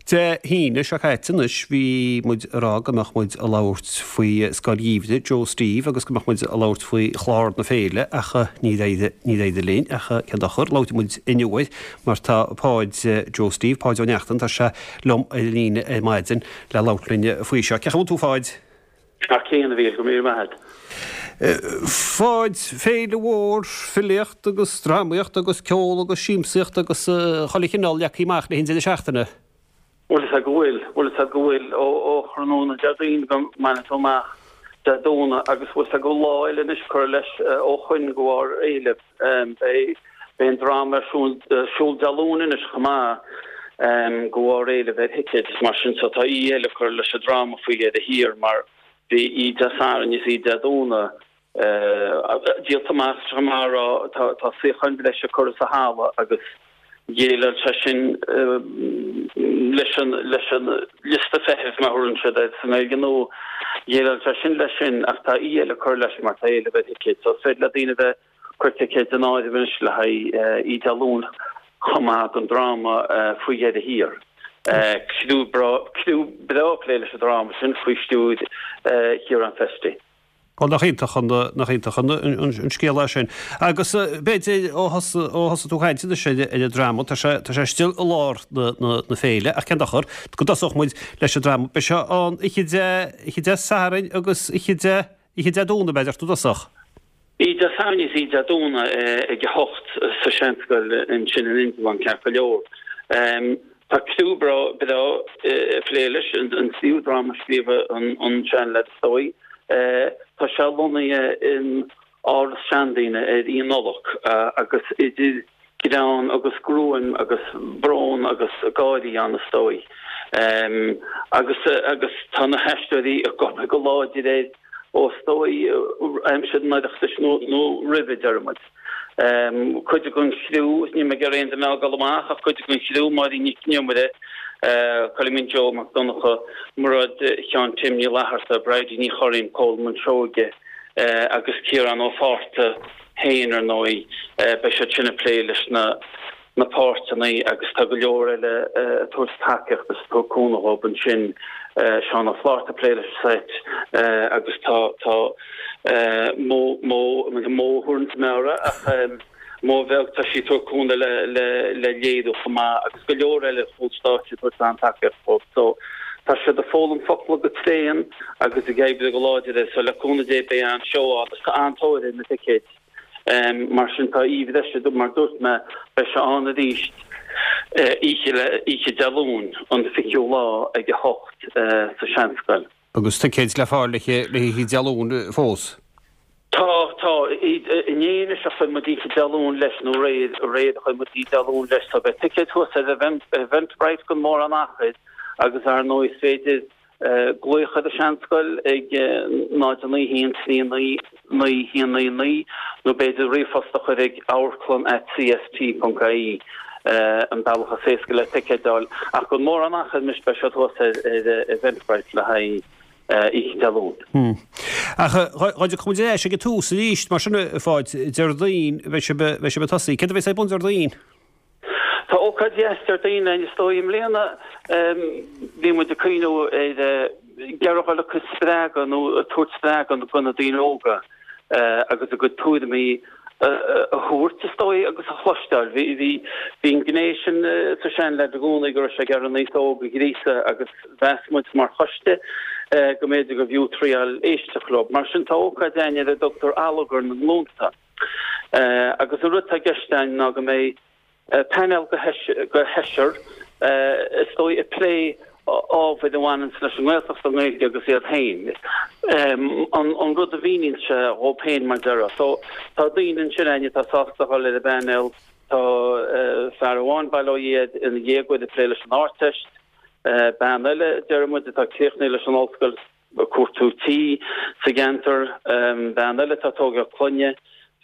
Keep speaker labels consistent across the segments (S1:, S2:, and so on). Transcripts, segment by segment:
S1: Dé hAoine seo caite anois bhí muid ag rá go mbeadh muid ag labhairt faoi Scoil Gheimhridh Joe Steve agus go mbeadh muid ag labhairt faoi chlár na féile ach níor éirigh níor éirigh linn ach cén dochar, labhróidh muid inniu air mar tá Páid Joe Steve, Páid Ó Neachtain, tá sé liom ar an líne ar maidin le labhairt linn faoi seo. Cén chaoi a bhfuil tú a Pháid?
S2: Thar cionn, a Mhíchíl, go raibh míle maith agat.
S1: Pháid, féile mhór filíocht agus drámaíocht agus ceol agus siamsaíocht agus chuile chineál leagtha amach le haghaidh an deireadh seachtaine.
S2: Bhfuil fhios agat go bhfuil, bhfuil fhios agat go bhfuil, ó thráthnóna Déardaoin go mbainfidh tú amach Dé Domhnaigh agus bhfuil fhios agat go bhfuil lá eile anois curtha leis ó shoin de bharr éilimh. Beidh an dráma ar siúl Dé Luain anois chomh maith de bharr éilimh ar thicéid is mar sin so tá oíche eile curtha leis an dráma faoi dheireadh thiar mar Bhí oíche Dé Sathairn is oíche Dé Domhnaigh díolta amach is maith a rá. Tá suíocháin bhreise curtha sa halla agus dhéileáil sé sin leis an leis an liosta feithimh, mar a thabharann siad air sa nGaeilge Nua. Dhéileáil sé sin leis sin ach tá oíche eile curtha leis mar tá éileamh ar thicéid. So is féidir le daoine bheith Cuir ticéid in áirithe anois le haghaidh oíche Dé Luain chomh maith don dráma Faoi Dheireadh Thiar. Criú breá ag plé leis an dráma sin faoi stiúir Chiarán Festy.
S1: Bhuel, nach iontach an, nach iontach an, an scéal é sin. Agus b'fhéidir ó thosaigh tú ag caint anois ar an dráma, tá sé, tá sé istigh i lár na, na, na féile, ach cén dochar, go dtosódh muid leis an dráma. Beidh sé ann oíche Dé, oíche Dé Sathairn agus oíche Dé, Oíche Dé Domhnaigh, b'fhéidir, i dtosach.
S2: Oíche Dé Sathairn is oíche Dé Domhnaigh ag a hocht sa Seanscoil ansin in Indreabhán, ceart go leor. Tá criú breá ag plé leis, an tríú dráma a scríobh an seanleaid is dóigh. Tá sé lonnaithe in áras seandaoine ar Oíche Nollag agus idir greann agus gruaim agus brón agus gáirí ann is dóigh. Agus agus tá na haisteoirí ag obair go láidir air ó is dóigh aimsir an Oireachtais nó nó roimhe, deir muid. Cuid den chriú, níl mé ag iarraidh aon duine a fhágáil amach ach cuid den chriú, Máirín Nic Con Iomaire, Coilimín Joe Mac Donncha, Mairéad Sheáin Tim Ní Fhlatharta, Bridie Ní Churraoin, Colman Seoige agus Ciarán Ó Fátharta, féin, ar ndóigh. Beidh siad sin ag plé leis na na páirteanna agus tá go leor eile ag tabhairt tacaíocht is ag tabhairt cúnamh dhóibh ansin. Seán Ó Flátharta ag plé leis an seit agus tá tá Mó Mó Mó thuairimse meabhra ach Mó bheag tá sí ag tabhairt cúnamh le le le léiriú chomh maith agus go leor eile ar chúl stáitse ag tabhairt an-tacaíocht dhóibh. So tá siad ag foghlaim focla go tréan agus ag oibriú go láidir air so le cúnamh Dé beidh an-seó ann agus tá an-tóir ar na ticéid. Mar sin tá oíche bhreise mar dúirt mé beidh sé ann arís oíche oíche Dé Luain an 20ú lá ag 8 sa Seanscoil.
S1: Agus ticéid le fáil le hoíche Dé Luain fós?
S2: Tá, tá. Inné anois a chuir muid oíche Dé Luain leis nó aréir, aréir a chuir muid oíche Dé Luain leis so beidh ticéid thuas ar Eventbrite gan mórán achair agus ar ndóigh is féidir glaoch ar an Seanscoil ag 0 9 1 3 9 9 1 9 9 nó b'fhéidir ríomhphost a chur ag amharclann at cst.ie an bealach is éasca le ticéid a fháil. Ach gan mórán achair anois beidh siad thuas ar Eventbrite le haghaidh oíche Dé Luain.
S1: Ach dá dtiocfadh muid ar ais ag an tús arís, mar sin, a Pháid, Déardaoin, beidh sibh ag tosaí. Céard a bheas ar bun Déardaoin?
S2: Tá ócáid dheas Déardaoin ann is dóigh. I mbliana bhí muid ag cuimhniú ar ag iarraidh a dhul ag spreagadh nó ag tabhairt spreagadh do na daoine óga agus a gcuid tuairimí a thabhairt is dóigh agus a chloisteáil. Bhí bhí an ghné sin sa Seanleaid i gcónaí go raibh sé ag iarraidh an aos óg a ghríosadh agus mheas muid mar choiste go mb'fhéidir gurbh fhiú triáil éisteacht leo. Mar sin tá ócáid againn ar a dtugtar Allagar na nGlúnta. Agus an rud atá i gceist againn ná go mbeidh painéal de sheisear, is dóigh, ag plé ábhair a bhaineanns leis an nGaeltacht, an Ghaeilge agus iad féin. An rud a mhíníonn sé dhóibh féin, mar déarfá. So, tá daoine ansin againn atá sásta a dhul ar an bpainéal. Tá fear amháin, bail ó Dhia air, ina dhéagóir ag plé leis an Ardteist. Bean eile, deir muid, atá críochnaithe leis an ollscoil. ag cuartú tí sa gceantar, bean eile atá ag tógáil clainne,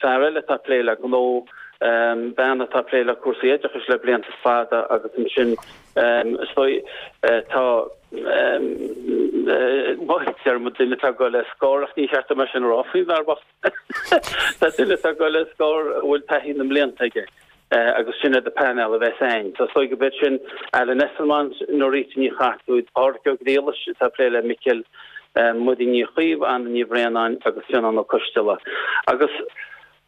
S2: fear eile atá ag plé le gnó, bean atá ag plé le cúrsaí oideachais le blianta fada agus ansin is dóigh tá bhuel deir muid duine atá ag dul ar scor ach ní cheart dom é sin a rá faoin bhfear bocht. Tá duine atá ag dul ar scor a bhfuil taithí na mblianta aige. Agus sin iad an painéal a bheas a'inn. So is dóigh go b'iad sin Alan Esslemont, Norita Ní Chartúid, Pádraic Ó Griallais atá ag plé le Micil, Muireann Ní Chaoimh, Anna Ní Bhraonáin agus Fionnán Ó Coisteala. Agus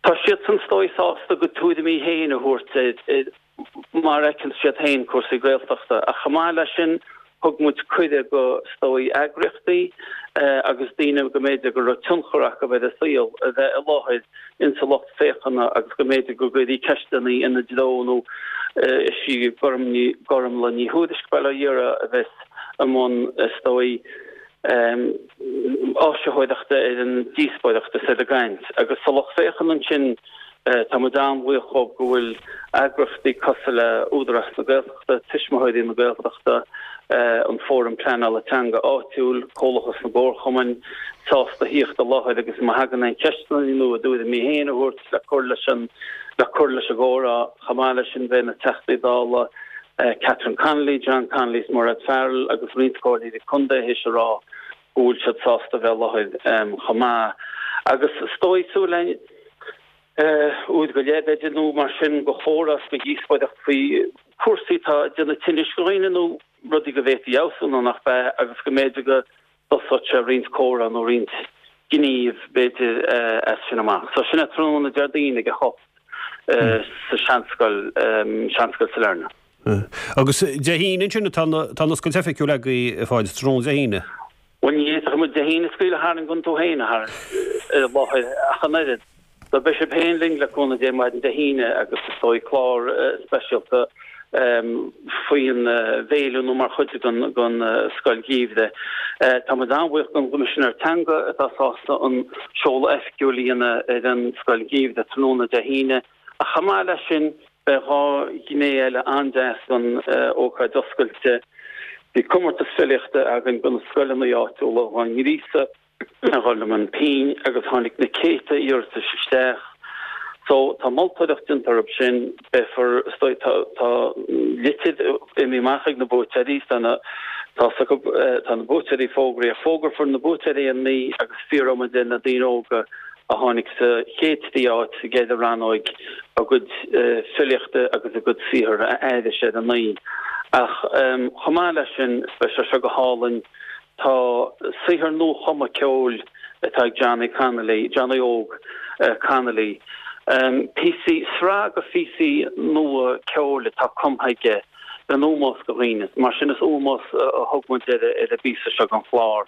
S2: tá siadsan is dóigh sásta a gcuid tuairimí féin a thabhairt ar mar a fheiceann siad féin cúrsaí Gaeltachta. Ach chomh maith leis sin, thug muid cuireadh go, is dóigh, eagraíochtaí agus daoine go mb'fhéidir go raibh tionchar acu ar an saol a bheith i láthair insa lucht féachana agus go mb'fhéidir go gcuirfí ceisteanna ina dtreo nó is í Gormlaith Ní Thuairisg, Bail ó Dhia uirthi, a bheas i mbun, is dóigh, áisitheoireachta ar an díospóireacht is ar an gcaint. Agus sa lucht féachana ansin, Tá muid an-bhuíoch dhóibh go bhfuil eagraíochtaí cosúil le Údarás na Gaeltachta, Tuismitheoirí na Gaeltachta, an Fóram Pleanála Teanga Áitiúil, Comhlachas na gComharchumainn sásta thíocht i láthair agus má thagann aon cheisteanna nó a dtuairimí féin a thabhairt le cur leis an le cur leis an gcomhrá. Chomh maith leis sin beidh na Teachtaí Dála Catherine Connolly, John Connolly is Mairéad Farrell agus roinnt comhairleoirí contae théis a rá go bhfuil siad sásta bheith i láthair chomh maith. Agus is dóigh, súil againn, uair go leith, b'fhéidir, nó mar sin, de chomhrá is de dhíospóireacht faoi chúrsaí atá ag déanamh tinnis do dhaoine nó rudaí go bhféadfaí a fheabhsú nó nach b'ea agus go mb'fhéidir go dtosódh sé roinnt comhrá nó roinnt gníomh, b'fhéidir, as sin amach. So sin é tráthnóna Déardaoin ag a hocht sa Seanscoil, Seanscoil Sailearna.
S1: Agus Dé hAoine ansin atá an oscailt oifigiúil agaibh, a Pháid, tráthnóna Dé hAoine.
S2: Bhuel, ní fhéadfadh muid Dé hAoine a scaoileadh tharainn gan tú féin a tharraingt i láthair ach an oiread. So beidh sibh féin linn le cúnamh Dé maidin Dé hAoine agus is dóigh clár speisialta faoin bhféile nó mar chuid den Scoil Gheimhridh. Tá muid an-bhuíoch don gCoimisinéir Teanga atá sásta an seoladh oifigiúil a dhéanamh ar an Scoil Gheimhridh tráthnóna Dé hAoine. Ach chomh maith leis sin, beidh 2 ghné eile an-deas don ócáid oscailte. Bhí comórtas filíochta againn do na scoileanna áitiúla dhá ngríosadh a dhul i mbun pinn agus tháinig na céadta iarratais isteach. So, tá moltóireacht déanta orthu sin, beifear, is dóigh, tá, tá litir imithe amach ag na buaiteoirí, tá na, tá acu, tá na buaiteoirí fógraithe, fógrófar na buaiteoirí ar an oíche agus fiafróidh muid de na daoine óga a tháinig sa chéad trí áit sa gceithre rannóig a gcuid filíochta agus a gcuid saothar a aithris ar an oíche. Ach chomh maith leis sin, beidh sé seo go hálainn, tá saothar nua-chumtha ceoil atá ag Johnny Connolly, Johnny Óg Connolly, píosaí, sraith de phíosaí nua ceoil atá cumtha aige, in ómós do dhaoine. Mar sin is ómós a thug muid ar an bpíosa seo den chlár.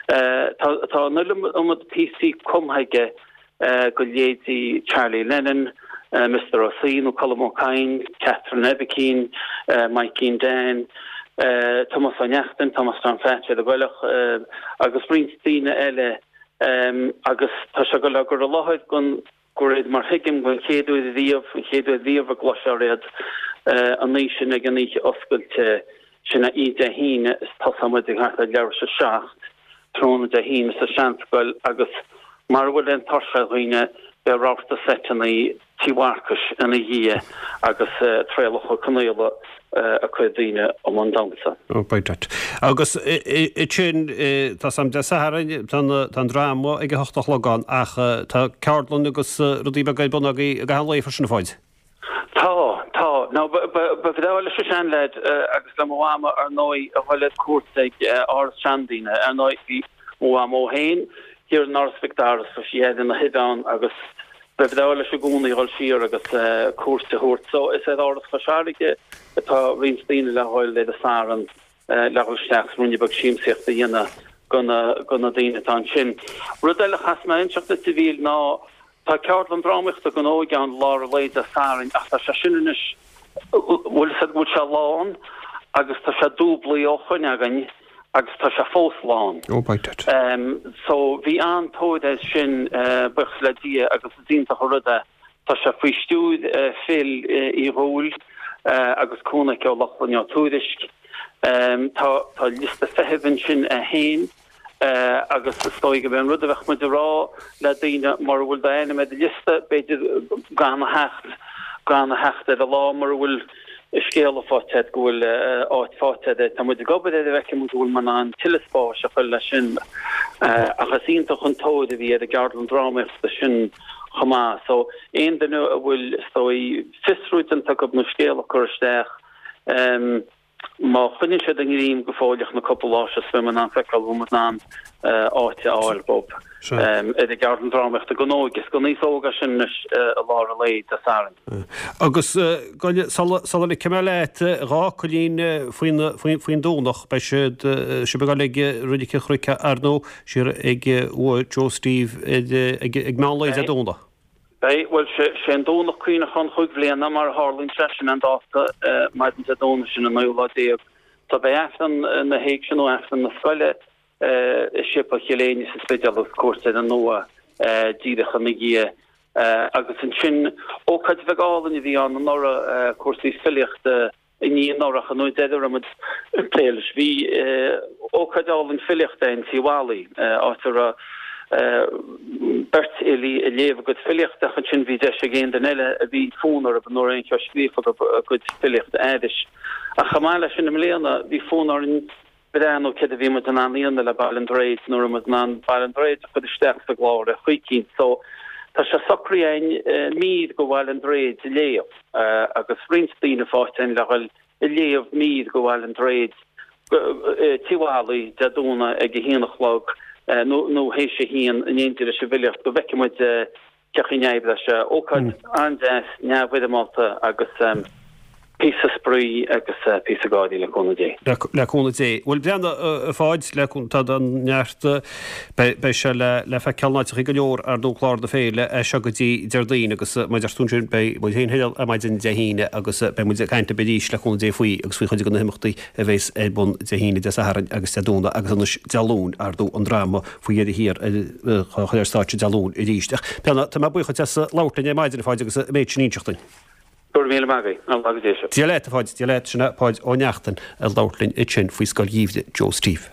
S2: Tá an iliomad píosaí cumtha aige do leithéidí Charlie Lennon, Mister Ó C nó Colm Ó Cadhain, Catherine Oibicín, Maidhcín Dan, Tomás Ó Neachtain, Tomás Tom Pheaits ar an gCoileach agus roinnt daoine eile agus tá sé ag dul á gcur i láthair don De réir mar thuigim, den chéad uair riamh, an chéad uair riamh a gcloisfear iad an oíche sin ag an oíche oscailte, sin é oíche Dé hAoine is tosóidh muid ag thart ar leathuair tar éis a 7 tráthnóna Dé hAoine sa Seanscoil agus mara bhfuil aon tuirse ar dhaoine beidh rabharta seiteanna Tí Mharcais ina dhiaidh agus Traolach Ó Conaola ag cur daoine i mbun damhsa.
S1: Oh, by dad. Agus ansin, tá 's a'm Dé Sathairn, tá an dráma ag a hocht a chlog ann ach tá ceardlann agus rudaí beaga ar bun agaibh i gcaitheamh an lae freisin, a Pháid.
S2: Tá, tá. Now, ba bhreá leis an seanleaid agus le mo mhama, ar ndóigh, a dhul ar cuairt ag áras seandaoine. Ar ndóigh, bhí mo mhamó féin thiar in Áras Mhic Dara, so sí ina thaobh ann agus Ba bhreá leis i gcónaí dhul siar agus cuairt a thabhairt. So is ar Áras Chois Fharraige atá roinnt daoine le dhul ar an Satharn le dhul isteach is ruainne beag siamsaíochta a dhéanamh do na daoine atá ansin. Rud eile a chaithfidh mé a inseacht duit a Mhíchíl ná tá ceardlann drámaíochta don óige ann lár an lae Dé Sathairn ach tá sé sin anois, bhfuil fhios agat go bhfuil sé lán agus tá sé dúblaithe ó shoin againn. agus tá sé fós lán.
S1: Oh by dad.
S2: So bhí an-tóir air sin, buíochas le Dia, agus is iontach an rud é. Tá sé faoi stiúir Phil Uí Dhúill agus cúnamh aici ó Lochlainn Ó Tuairisg. Tá tá liosta feithimh ansin é féin agus is dóigh gurb é an rud a bheadh muid a rá le daoine mura bhfuil d'ainm ar an liosta, b'fhéidir gan a theacht, gan a theacht ar an lá mura bhfuil. scéala faighte agat go bhfuil áit faighte agat. Tá muid ag obair air a bhfeicfidh muid an bhfuil muid in ann tuilleadh spáis a chur leis sin. Ach is iontach an tóir a bhí ar an gceardlann drámaíochta sin chomh maith. So aon duine a bhfuil, is dóigh, fiosrú déanta acu nó scéal a chur isteach, Má choinníonn siad a ngreim go fóilleach na cúpla lá seo beidh muid in ann feiceáil an bhfuil muid in ann áit a fháil dóibh ar an gceardlann drámaíochta don óige. Is don aos óg é sin anois i lár an lae Dé Sathairn.
S1: Agus sula ligfidh mé leat, 2 fhocailín faoin Domhnach, beidh siad, sibh ag dul ag Reilig an Chnoic ar ndóigh, siar ag uaigh Joe Steve ag meán lae Dé Domhnaigh.
S2: Beidh, bhuel, sé an Domhnach Cuimhneacháin chúig bhliana, mar a tharlaíonn sé, sin an dáta, maidin Dé Domhnaigh sin an naoú lá déag. So beidh Aifreann na hÉigse nó Aifreann na scoile i Séipéal Chill Éinne sa Spidéal agus cuairt ar an uaigh díreach ina dhiaidh. Agus ansin, ócáid bheag álainn a bhí ann anuraidh, cúrsaí filíochta, I ndiaidh anuraidh an uair deiridh a raibh muid ag plé leis, bhí ócáid álainn filíochta in Tigh Mholly, áit a raibh beirt fhilí ag léamh a gcuid filíochta ach ansin bhí deis ag aon duine eile a bhí fonn orthu nó a raibh aon cheo scríofa acu a gcuid filíochta a aithris. Ach chomh maith leis sin i mbliana, bhí fonn orainn breathnú céard a bhí muid in ann a dhéanamh le Baile an Droichid nó an raibh muid in ann Baile an Droichid a chur isteach sa gclár ar chaoi eicínt. So tá sé socraithe againn mír go Bhaile an Droichid a léamh agus roinnt daoine faighte againn le dhul ag léamh mír go Bhaile an Droichid Tigh Mholly Dé Domhnaigh ag a haon a chlog nó nó théis a haon in éindí leis an bhfilíocht go bhfeicfidh muid Cén chaoi a n-oibreoidh sé. Ócáid an-deas, neamhfhoirmeálta agus píosa spraoi agus píosa gáirí le cúnamh Dé.
S1: Le cúnamh Dé. Bhuel, breathnaigh, a Pháid, le cúnamh, tá neart, beidh sé le feiceáil in áiteachaí go leor ar ndóigh clár na féile as seo go dtí Déardaoin agus mar a deir tú ansin beidh muid féin thall ar maidin Dé hAoine agus beidh muid ag caint libh arís le cúnamh Dé faoi agus faoi chuid de na himeachtaí a bheas ar bun Dé hAoine, Dé Sathairn agus Dé Domhnaigh agus anois Dé Luain, ar ndóigh, an dráma faoi dheireadh thiar á chur ar stáitse Dé Luain arís. Ach, Breandán, tá mé buíoch duit as labhairt linn ar maidin, a Pháid, agus an méid sin a inseacht duinn.
S2: Go raibh míle maith agat. An lá go dté sibh.
S1: Dia leat, a Pháid. Dia leat. Sin é Páid Ó Neachtain ag labhairt linn ansin faoi Scoil Gheimhridh Joe Steve.